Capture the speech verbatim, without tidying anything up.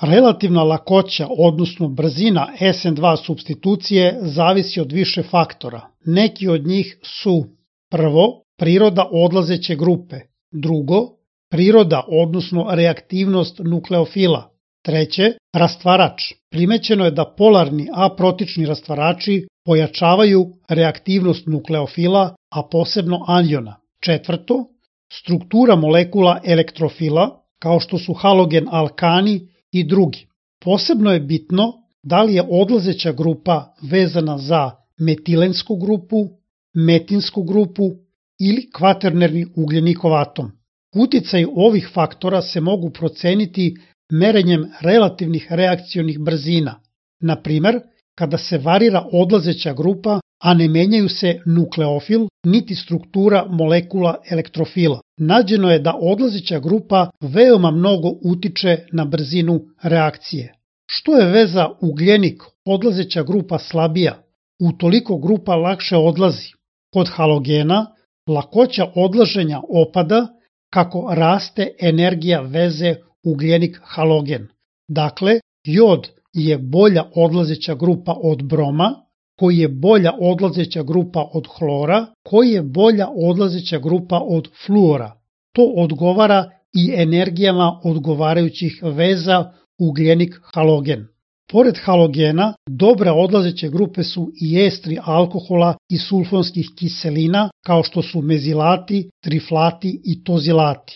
Relativna lakoća, odnosno brzina S N dva supstitucije zavisi od više faktora. Neki od njih su: prvo, priroda odlazeće grupe, drugo, priroda odnosno reaktivnost nukleofila, treće, rastvarač. Primećeno je da polarni aprotični rastvarači pojačavaju reaktivnost nukleofila, a posebno anijona. Četvrto, struktura molekula elektrofila, kao što su halogen alkani i drugi. Posebno je bitno da li je odlazeća grupa vezana za metilensku grupu, metinsku grupu ili kvaternerni ugljenikov atom. Uticaj ovih faktora se mogu proceniti merenjem relativnih reakcionih brzina. Na primer, kada se varira odlazeća grupa, a ne menjaju se nukleofil niti struktura molekula elektrofila. Nađeno je da odlazeća grupa veoma mnogo utiče na brzinu reakcije. Što je veza ugljenik odlazeća grupa slabija, utoliko grupa lakše odlazi. Kod halogena lakoća odlaženja opada kako raste energija veze ugljenik-halogen. Dakle, jod je bolja odlazeća grupa od broma, koji je bolja odlazeća grupa od hlora, koji je bolja odlazeća grupa od fluora. To odgovara i energijama odgovarajućih veza ugljenik-halogen. Pored halogena, dobre odlazeće grupe su i estri alkohola i sulfonskih kiselina, kao što su mezilati, triflati i tozilati.